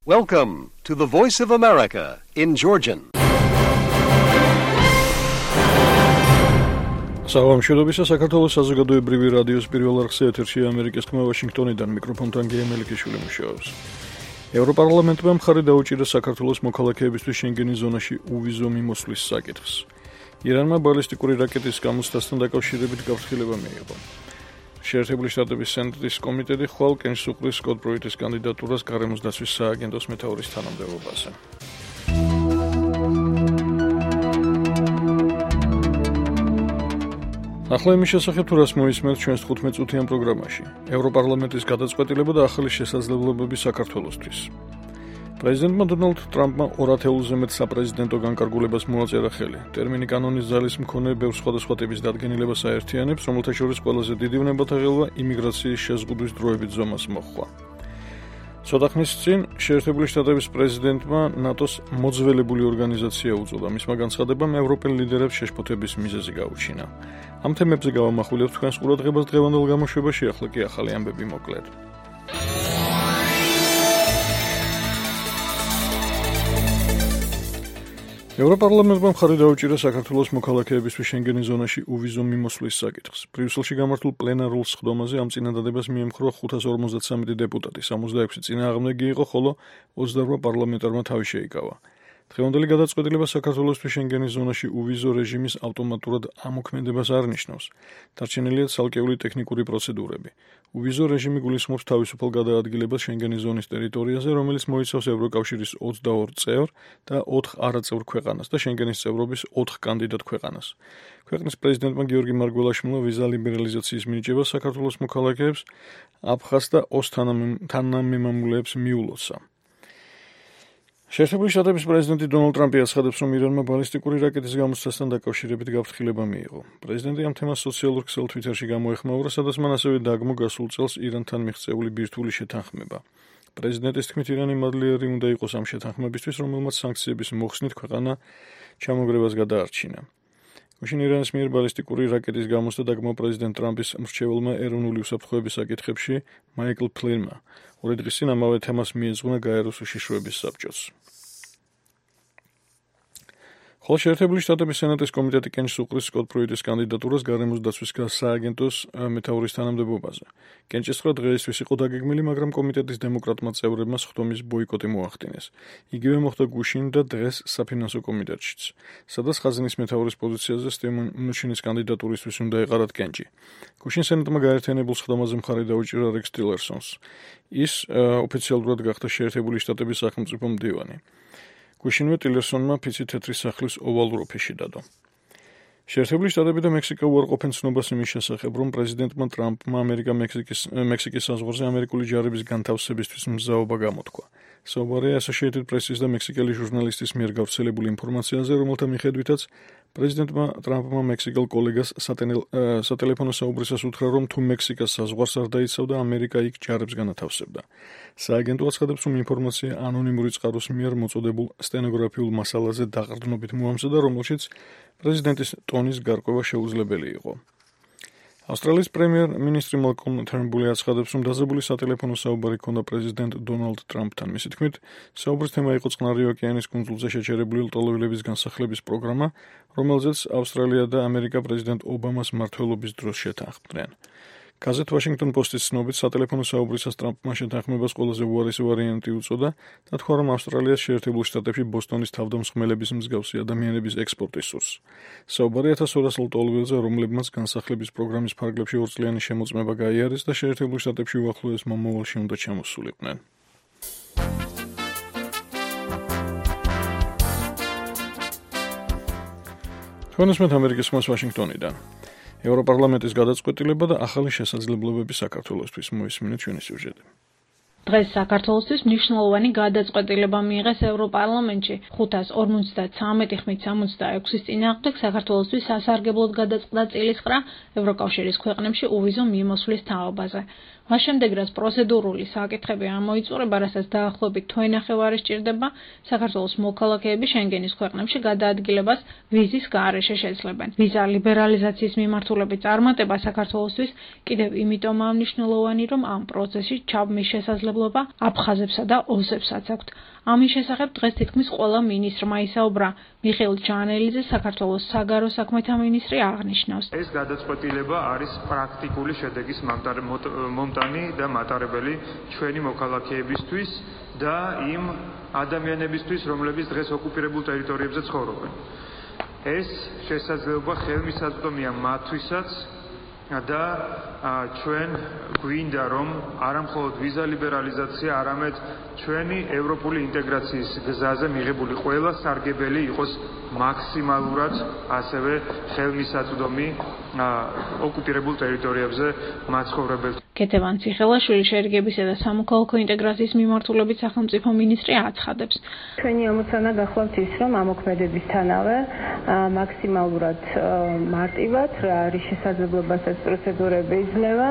Welcome to the Voice of America in Georgian. Საღამოშობისა საქართველოს საზოგადოებრივი რადიოს პირველ არხზე ეთერშია ამერიკის ხმა ვაშინგტონიდან მიკროფონთან გემელიქიშვილი მუშაობს. ევროპარლამენტმა მხარი დაუჭირა საქართველოს მოქალაქეებისთვის შენგენის ზონაში უვიზო მიმოსვლის საკითხს. ირანმა ბალისტიკური რაკეტის გამოცდასთან დაკავშირებით გაფრთხილება მიიღო. შეერთებული შტატების სენატის კომიტეტი ხვალ კენჭს უყრის სკოტ ბროიტის კანდიდატურას გარემოს დაცვის სააგენტოს მეთაურის თანამდებობაზე. ახლა იმის შესახებ თუ რას მოისმენთ ჩვენს 15 წუთიან პროგრამაში. ევროპარლამენტის გადაწყვეტილება და ახალი შესაძლებლობები საქართველოსთვის. პრეზიდენტმა დონალდ ტრამპმა 200-ზე მეტ საპრეზიდენტო განკარგულებას მოაწერა ხელი. ტერმინი კანონის ძალის მქონე ბევრ სხვადასხვა ტიპის დადგენილებას აერთიანებს, რომელთა შორის ყველაზე დიდი ვნებათა ღელვა იმიგრაციის შეზღუდვის დროებით ზომას მოჰყვა. ცოტა ხნის წინ შეერთებული შტატების პრეზიდენტმა ნატოს მოძველებული ორგანიზაცია უწოდა. მისმა განცხადებამ ევროპელ ლიდერებს შეშფოთების მიზეზი გაუჩინა. ამ თემებზე გავამახვილებთ თქვენს ყურადღებას დღევანდელ გამოშვებაში, ახლა კი ახალი ამბები მოკლედ. ევროპარლამენტმა მხარი დაუჭირა საქართველოს მოქალაქეებისთვის შენგენის ზონაში უვიზო მიმოსვლის საკითხს. ბრიუსელში გამართულ პლენარულ სხდომაზე ამ წინადადებას მიემხრა 553 დეპუტატი, 66 წინააღმდეგი იყო, ხოლო 28 პარლამენტარმა თავი შეიკავა. დღევანდელი გადაწყვეტილება საქართველოსთვის შენგენის ზონაში უვიზო რეჟიმის ავტომატურად ამოქმედებას არ ნიშნავს. დარჩენილია ცალკეული ტექნიკური პროცედურები. უვიზო რეჟიმი გულისხმობს თავისუფალ გადაადგილებას შენგენის ზონის ტერიტორიაზე, რომელიც მოიცავს ევროკავშირის 22 წევრ და 4 არაწევრ ქვეყანას და შენგენის წევრობის 4 კანდიდატ ქვეყანას. ქვეყნის პრეზიდენტმა გიორგი მარგველაშვილმა ვიზა ლიბერალიზაციის მინიჭებას საქართველოს მოქალაქეებს, აფხაზს და ოს თანამემამულეებს მიულოცა. შეერთებული შტატების პრეზიდენტი დონალდ ტრამპი აცხადებს, რომ ირანმა ბალისტიკური რაკეტის გამოცდასთან დაკავშირებით გაფრთხილება მიიღო. პრეზიდენტი ამ თემას სოციალურ ქსელ თვიტერში გამოეხმაურა, სადაც მან ასევე დაგმო გასულ წელს ირანთან მიღწეული ბირთვული შეთანხმება. პრეზიდენტის თქმით, ირანი მადლიერი უნდა იყოს ამ შეთანხმებისთვის, რომელმაც სანქციების მოხსნით ქვეყანა ჩამოგრებას გადაარჩინა. გუშინ ირანის მიერ ბალისტიკური რაკეტის გამოცდა დაგმო პრეზიდენტ ტრამპის მრჩეველმა ეროვნული უსაფრთხოების საკითხებში მაიკლ ფლინმა. 2 დღის წინ ამავე თემას მიეძღვნა გაეროს უშიშროების საბჭოს. ხოლო შეერთებული შტატების სენატის კომიტეტი კენჭს უყრის სკოტ ბროიტის კანდიდატურას გარემოს დაცვის სააგენტოს მეთაურის თანამდებობაზე. კენჭისყრა დღეისთვის იყო დაგეგმილი, მაგრამ კომიტეტის დემოკრატმა წევრებმა სხდომის ბოიკოტი მოახდინეს. იგივე მოხდა გუშინ და დღეს საფინანსო კომიტეტშიც, სადაც ხაზინის მეთაურის პოზიციაზე სტივ მუნჩინის კანდიდატურისთვის უნდა ეყარათ კენჭი. გუშინ სენატმა გაერთიანებულ სხდომაზე მხარი დაუჭირა რექს ტილერსონს. ის ოფიციალურად გახდა შეერთებული შტატების სახელმწიფო მდივანი. გუშინვე ტილერსონმა ფიცი თეთრი სახლის ოვალურ ოფისში დადო. შეერთებული შტატები და მექსიკა უარყოფენ ცნობას იმის შესახებ, რომ პრეზიდენტმა ტრამპმა ამერიკა-მექსიკის საზღვარზე ამერიკული ჯარების განთავსებისთვის მზაობა გამოთქვა. საუბარია Associated Press-ის და მექსიკელი ჟურნალისტის მიერ გავრცელებული ინფორმაციაზე, რომელთა მიხედვითაც პრეზიდენტმა ტრამპმა მექსიკელ კოლეგას სატელეფონო საუბრისას უთხრა, რომ თუ მექსიკას საზღვარს არ დაიცავდა, ამერიკა იქ ჯარებს განათავსებდა. სააგენტო აცხადებს, რომ ინფორმაცია ანონიმური წყაროს მიერ მოწოდებულ სტენოგრაფიულ მასალაზე დაყრდნობით მოამზადა, რომელშიც პრეზიდენტის ტონის გარკვევა შეუძლებელი იყო. ავსტრალიის პრემიერ-მინისტრი მალკოლმ თერნბული აცხადებს, რომ დაძაბული სატელეფონო საუბარი ჰქონდა პრეზიდენტ დონალდ ტრამპთან. მისი თქმით, საუბრის თემა იყო წყნარი ოკეანის კუნძულზე შეჩერებული ლტოლვილების განსახლების პროგრამა, რომელზეც ავსტრალია და ამერიკა პრეზიდენტ ობამას მმართველობის დროს შეთანხმდნენ. გაზეთ Washington Post-ის ცნობით, სატელეფონო საუბრისას ტრამპმა შეთანხმებას ყველაზე უარესი ვარიანტი უწოდა და თქვა, რომ ავსტრალიას შეერთებულ შტატებში ბოსტონის თავდამსხმელების მსგავსი ადამიანების ექსპორტის სურს. საუბარი 1200 ლტოლვილზე, რომლებმაც განსახლების პროგრამის ფარგლებში 2 წლიანი შემოწმება გაიარეს და შეერთებულ შტატებში უახლოეს მომავალში უნდა ჩამოსულიყვნენ. თქვენ უსმენთ ამერიკის ხმას ვაშინგტონიდან. ევროპარლამენტის გადაწყვეტილება და ახალი შესაძლებლობები საქართველოსთვის მოისმინეთ ჩვენი სიუჟეტი. დღეს საქართველოსთვის მნიშვნელოვანი გადაწყვეტილება მიიღეს ევროპარლამენტში. 553 ხმით 66-ის წინააღმდეგ საქართველოსთვის სასარგებლოდ გადაწყდა წილისყრა ევროკავშირის ქვეყნებში უვიზო მიმოსვლის თაობაზე. მას შემდეგ, რაც პროცედურული საკითხები ამოიწურება, რასაც დაახლოებით თვენახევარი სჭირდება, საქართველოს მოქალაქეები შენგენის ქვეყნებში გადაადგილებას ვიზის გარეშე შეძლებენ. ვიზა ლიბერალიზაციის მიმართულებით წარმატება საქართველოსთვის კიდევ იმიტომაა მნიშვნელოვანი, რომ ამ პროცესში ჩაბმის შესაძლებლობა აფხაზებსა და ოსებსაც აქვთ. ამის შესახებ დღეს თითქმის ყველა მინისტრმა ისაუბრა. მიხეილ ჯანელიძე, საქართველოს საგარეო საქმეთა მინისტრი აღნიშნავს. ეს გადაწყვეტილება არის პრაქტიკული შედეგის მომტანი და მატარებელი ჩვენი მოქალაქეებისთვის და იმ ადამიანებისთვის, რომლებიც დღეს ოკუპირებულ ტერიტორიებზე ცხოვრობენ. ეს შესაძლებლობა ხელმისაწვდომია მათთვისაც და ჩვენ გვინდა რომ არა მხოლოდ ვიზა ლიბერალიზაცია, არამედ ჩვენი ევროპული ინტეგრაციის გზაზე მიღებული ყველა სარგებელი იყოს მაქსიმალურად ასევე ხელმისაწვდომი ოკუპირებულ ტერიტორიებზე მაცხოვრებელს. კეთევან ციხელაშვილი შერიგებისა და სამოქალაქო ინტეგრაციის მიმართულებით სახელმწიფო მინისტრი აცხადებს. ჩვენი ამოცანა გახლავთ ის, რომ ამოქმედებისთანავე მაქსიმალურად მარტივად რა არის შესაძლებლობასაც პროცედურები იძლევა,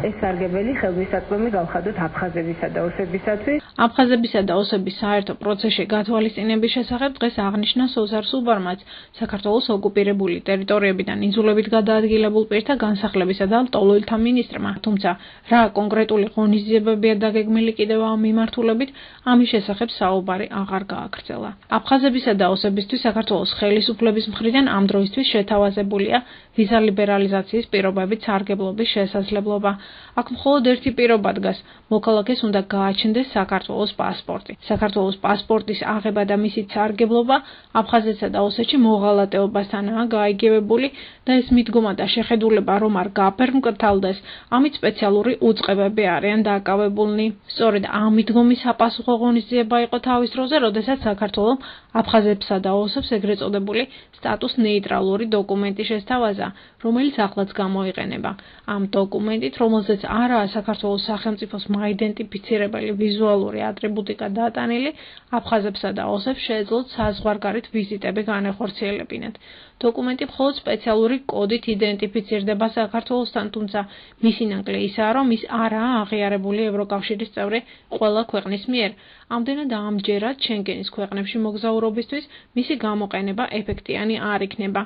ეს სარგებელი ხელმისაწვდომი გავხადოთ აფხაზებისა და ოსებისათვის. აფხაზებისა და ოსების საერთო პროცესში გათვალისწინების შესახებ დღეს აღნიშნა სოზარ სუბარმაც, საქართველოს ოკუპირებული ტერიტორიებიდან იძულებით გადაადგილებულ პირთა განსახლებისა და ლტოლვილთა მინისტრმა, თუმცა რა კონკრეტული ღონისძიებებია დაგეგმილი კიდევ ამ მიმართულებით, ამის შესახებ საუბარი აღარ გააგრძელა. აფხაზებისა და ოსებისთვის საქართველოს ხელისუფლების მხრიდან ამ დროისთვის შეთავაზებულია ვიზა ლიბერალიზაციის პირობებით სარგებლობის შესაძლებლობა. აქ მხოლოდ ერთი პირობა დგას, მოქალაქეს უნდა გააჩნდეს საქართველოს პასპორტი. საქართველოს პასპორტის აღება და მისი სარგებლობა აფხაზეთსა და ოსეთში მოღალატეობასთანაა გაიგებებული და ეს მიდგომა და შეხედულება რომ არ გაფერმკრთალდეს, ამით სპეციალური უწყებები არიან დაკავებულნი. სწორედ ამ მიდგომის საპასუხო ღონისძიება იყო თავის დროზე, როდესაც საქართველოს აფხაზებსა და ოსებს ეგრეთ წოდებული სტატუს ნეიტრალური დოკუმენტი შესთავაზა, რომელიც ახლაც გამოიყენება. ამ დოკუმენტით, რომელზეც არაა საქართველოს სახელმწიფოს მაიდენტიფიცირებელი ვიზუალური ატრიბუტიკა დატანილი, აფხაზებსა და ოსებს შეეძლოთ საზღვარგარეთ ვიზიტები განეხორციელებინათ. დოკუმენტი მხოლოდ სპეციალური კოდით იდენტიფიცირდება საქართველოსთან, თუმცა მისი ნაკლი ისაა, რომ ის არაა აღიარებული ევროკავშირის წევრი ყველა ქვეყნის მიერ. ამდენად ამჯერად შენგენის ქვეყნებში მოგზაურობისთვის მისი გამოყენება ეფექტიანი არ იქნება.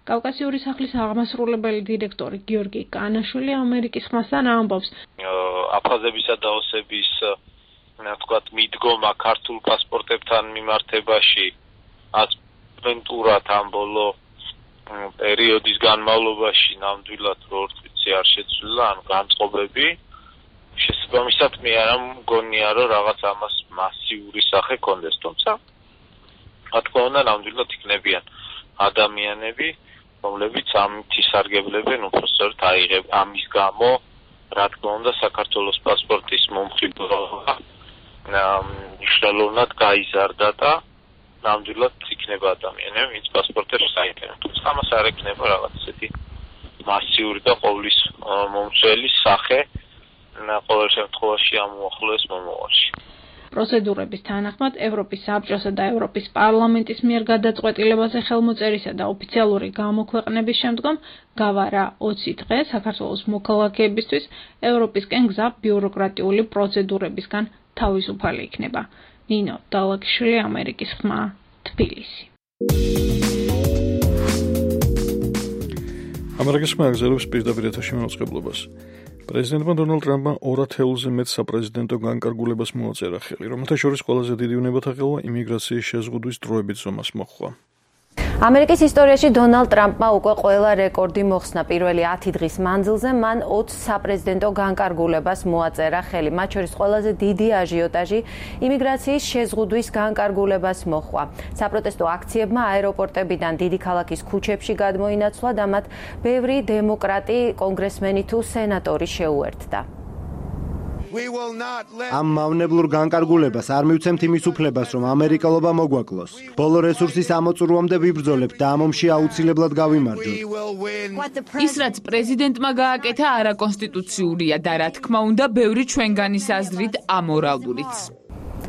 კავკასიური სახლის აღმასრულებელი დირექტორი გიორგი კანაშვილი ამერიკის ხმასთან ამბობს. აფხაზებისა და ოსების მიდგომა ქართულ პასპორტებთან მიმართებაში ასპრენტურად ამ ბოლო პერიოდის განმავლობაში ნამდვილად ორ წუთი არ შეცვლილა, ან განწყობები. შესაბამისად მე არ მგონია, რომ რაღაც ამას მასიური სახე კონდეს, თუმცა რა თქმა უნდა ნამდვილად იქნებიან ადამიანები, რომლებიც ამით ისარგებლებენ უпроსტოდ აიღებ ამის გამო, რა თქმა უნდა საქართველოს პასპორტის მომხიბლობა მნიშვნელოვნად გაიზარდა და ნამდვილად იქნება ადამიანები, ვინც პასპორტებს აიღებენ. თუმცა ამას არ ექნება რაღაც ისეთი მასიური და ყოვლის მომცველი სახე ყოველ შემთხვევაში ამ უახლოეს მომავალში. პროცედურების თანახმად ევროპის საბჭოსა და ევროპის პარლამენტის მიერ გადაწყვეტილებაზე ხელმოწერისა და ოფიციალური გამოქვეყნების შემდგომ გავარა 20 დღე საქართველოს მოქალაქეებისთვის ევროპისკენ გზა ბიუროკრატიული პროცედურებისგან თავისუფალი იქნება. ნინო დალაკიშვილი, ამერიკის ხმა, თბილისი. ამერიკის ხმა აგზელებს პირდაპირ ეთერში მოწყებლობას. პრეზიდენტმა დონალდ ტრამპმა 200-ზე მეტ საპრეზიდენტო განკარგულებას მოაწერა ხელი, რომელთა შორის ყველაზე დიდი უნებათაღელვა იმიგრაციის შეზღუდვის დროებით ზომას მოჰყვა. ამერიკის ისტორიაში დონალდ ტრამპმა უკვე ყველა რეკორდი მოხსნა. პირველი 10 დღის მანძილზე მან 20 საპრეზიდენტო განკარგულებას მოაწერა ხელი. მათ შორის ყველაზე დიდი აჟიოტაჟი იმიგრაციის შეზღუდვის განკარგულებას მოჰყვა. საპროტესტო აქციებმა აეროპორტებიდან დიდი ქალაქის ქუჩებში გადმოინაცვლა და მათ ბევრი დემოკრატი, კონგრესმენი თუ სენატორი შეუერთდა. ამ მავნებლურ განკარგულებას არ მივცემთ იმის უფლებას, რომ ამერიკელობა მოგვაკლოს. ბოლო რესურსის ამოწურვამდე ვიბრძოლებთ და ამ ომში აუცილებლად გავიმარჯვოთ. ის, რაც პრეზიდენტმა გააკეთა, არაკონსტიტუციურია და რა თქმა უნდა, ბევრი ჩვენგანის აზრით ამორალურიც.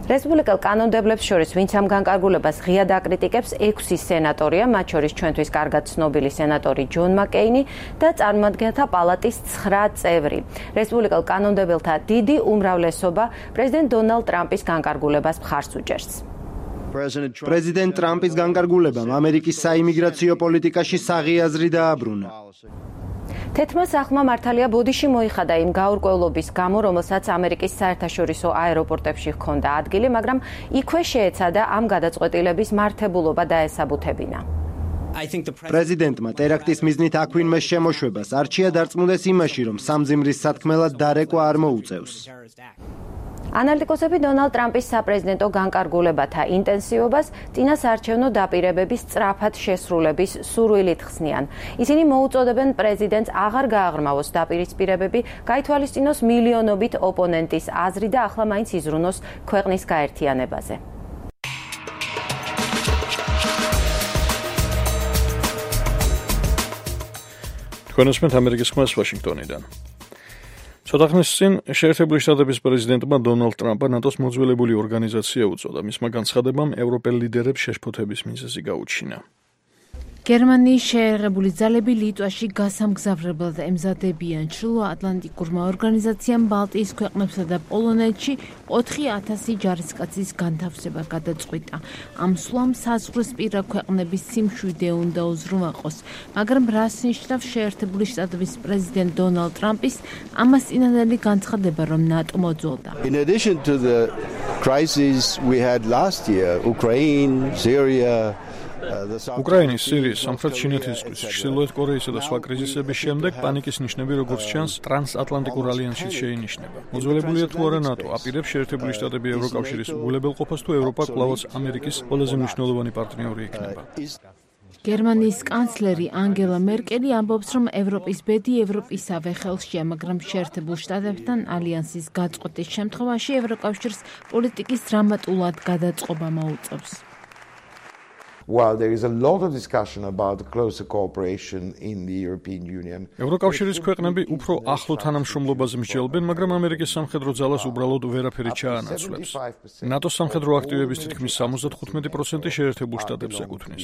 რესპუბლიკელ კანონმდებლებს შორის ვინც ამ განკარგულებას ღიად აკრიტიკებს 6 სენატორია, მათ შორის ჩვენთვის კარგად ცნობილი სენატორი ჯონ მაკეინი და წარმომადგენელთა პალატის 9 წევრი. რესპუბლიკელ კანონმდებელთა დიდი უმრავლესობა პრეზიდენტ დონალდ ტრამპის განკარგულებას მხარს უჭერს. პრეზიდენტ ტრამპის განკარგულებამ ამერიკის საიმიგრაციო პოლიტიკაში საღიაზრი დააბრუნა. თეთრმა სახლმა მართალია ბოდიში მოიხადა იმ გაურკვევლობის გამო, რომელსაც ამერიკის საერთაშორისო აეროპორტებში ჰქონდა ადგილი, მაგრამ იქვე შეეცადა ამ გადაწყვეტილების მართებულობა დაესაბუთებინა. პრეზიდენტმა ტერაქტის მიზნით აქვინმეს შემოშვებას არჩია დარწმუნდეს იმაში, რომ სამძიმრის სათქმელად დარეკვა არ მოუწევს. ანალიტიკოსები დონალდ ტრამპის საპრეზიდენტო განკარგულებათა ინტენსივობას წინასაარჩევნო დაპირებების სწრაფად შესრულების სურვილით ხსნიან. ისინი მოუწოდებენ პრეზიდენტს აღარ გააღრმავოს დაპირისპირებები, გაითვალისწინოს მილიონობით ოპონენტის აზრი და ახლა მაინც იზრუნოს ქვეყნის გაერთიანებაზე. თქვენ უსმენთ ამერიკის ხმას ვაშინგტონიდან. ცოტა ხნის წინ შეერთებული შტატების პრეზიდენტმა დონალდ ტრამპმა ნატოს მოძველებული ორგანიზაცია უწოდა. მისმა განცხადებამ ევროპელ ლიდერებს შეშფოთების მიზეზი გაუჩინა. გერმანიის შეერაღებული ძალები ლიტვაში გასამგზავრებლად ემზადებიან. ჩრდილოატლანტიკურმა ორგანიზაციამ ბალტიის ქვეყნებსა და პოლონეთში 4,000 ჯარისკაცის განთავსება გადაწყვიტა. ამ სვლამ საზღვრისპირა ქვეყნების სიმშვიდე უნდა უზრუნველყოს, მაგრამ რას ნიშნავს შეერთებული შტატების პრეზიდენტ დონალდ ტრამპის ამას წინანდელი განცხადება, რომ ნატო მოძველდა. In addition to the crises we had last year, Ukraine, Syria, უკრაინის, სირიის, სამხრეთ ჩინეთის ზღვის, ჩრდილოეთ კორეისა და სხვა კრიზისების შემდეგ პანიკის ნიშნები, როგორც ჩანს, ტრანსატლანტიკურ ალიანსით შეინიშნება. მოძველებულია თუ არა ნატო, აპირებს შეერთებული შტატები ევროკავშირის უგულებელყოფას თუ ევროპა კვლავაც ამერიკის ყველაზე მნიშვნელოვანი პარტნიორი იქნება. გერმანიის კანცლერი ანგელა მერკელი ამბობს, რომ ევროპის ბედი ევროპისავე ხელშია, მაგრამ შეერთებულ შტატებთან ალიანსის გაწყვეტის შემთხვევაში ევროკავშირს პოლიტიკის დრამატულად გადაწყობა მოუწევს. While there is a lot of discussion about closer cooperation in the European Union. ევროკავშირის ქვეყნები უფრო ახლო თანამშრომლობაზე მსჯელობენ, მაგრამ ამერიკის სამხედრო ძალას უბრალოდ ვერაფერი ჩაანაცვლებს. ნატოს სამხედრო აქტივების თითქმის 75% შეერთებულ შტატებს ეკუთვნის.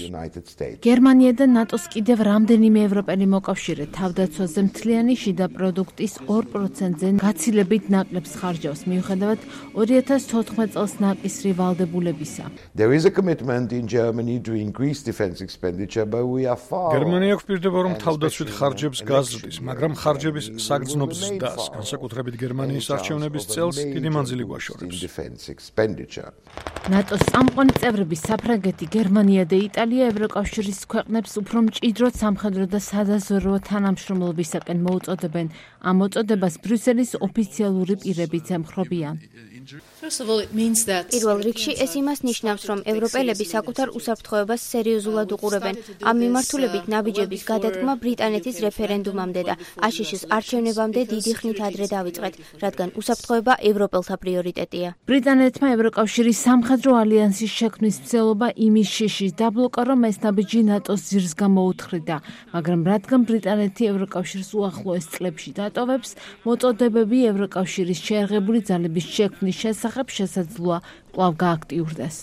გერმანია და ნატოს კიდევ რამდენიმე ევროპელი მოკავშირე თავდაცვაზე მთლიანი შიდა პროდუქტის 2%-ზე გაცილებით ნაკლებს ხარჯავს, მიუხედავად 2014 წელს ნაკისრი ვალდებულებისა. There is a commitment in Germany to increase defense expenditure, but we are far. გერმანია გვპირდება, რომ თავდაცვით ხარჯებს გაზრდის, მაგრამ ხარჯების საგრძნობ ზრდას, განსაკუთრებით გერმანიის არჩევნების წელს დიდი მანძილი გვაშორებს. ნატოს წამყვანი წევრები საფრანგეთი, გერმანია და იტალია ევროკავშირის ქვეყნებს უფრო მჭიდროდ სამხედრო და სადაზვერვო თანამშრომლობისაკენ მოუწოდებენ. ამ მოწოდებას ბრიუსელის ოფიციალური პირებიც ემხრობიან. პირველ რიგში ეს იმას ნიშნავს, რომ ევროპელები საკუთარ უსაფრთხოებას სერიოზულად უყურებენ. ამ მიმართულებით ნაბიჯების გადადგმა ბრიტანეთის რეფერენდუმამდე და აშშ-ის არჩევნებამდე დიდი ხნით ადრე დავიწყეთ, რადგან უსაფრთხოება ევროპელთა პრიორიტეტია. ბრიტანეთმა ევროკავშირის სამხედრო ალიანსის შექმნის მცდელობა იმის შიშის დაბლოკა, რომ ეს ნაბიჯი ნატოს ძირს გამოუთხრიდა, მაგრამ რადგან ბრიტანეთი ევროკავშირს უახლოეს წლებში დატოვებს, მოწოდებები ევროკავშირის შეერაღებული ძალების შექმნის შესახებ შესაძლოა კვლავ გააქტიურდეს.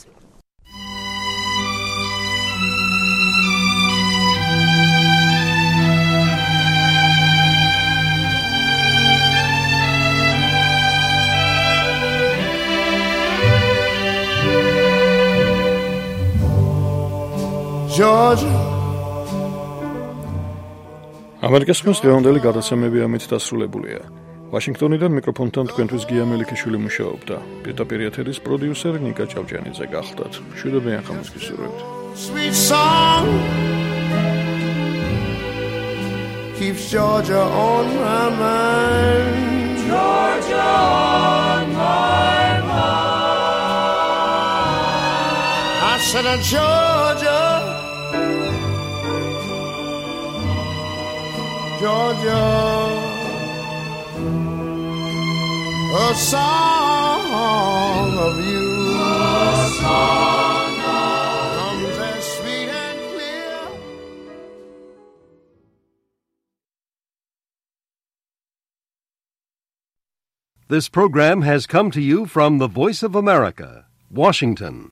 ამერიკის ხმის დღევანდელი გადაცემები ამით დასრულებულია. ვაშინგტონიდან მიკროფონთან თქვენთვის გია მელიქიშვილი მუშაობდა. პირდაპირ ეთერის პროდიუსერი ნიკა ჭავჭიანიძე გახლდათ. მშვიდობიან ხამს გისურვებთ. Sweet song keeps Georgia on my mind. Georgia on my mind. I said Georgia, Georgia, a song of you, a song comes as sweet and clear. This program has come to you from the Voice of America, Washington.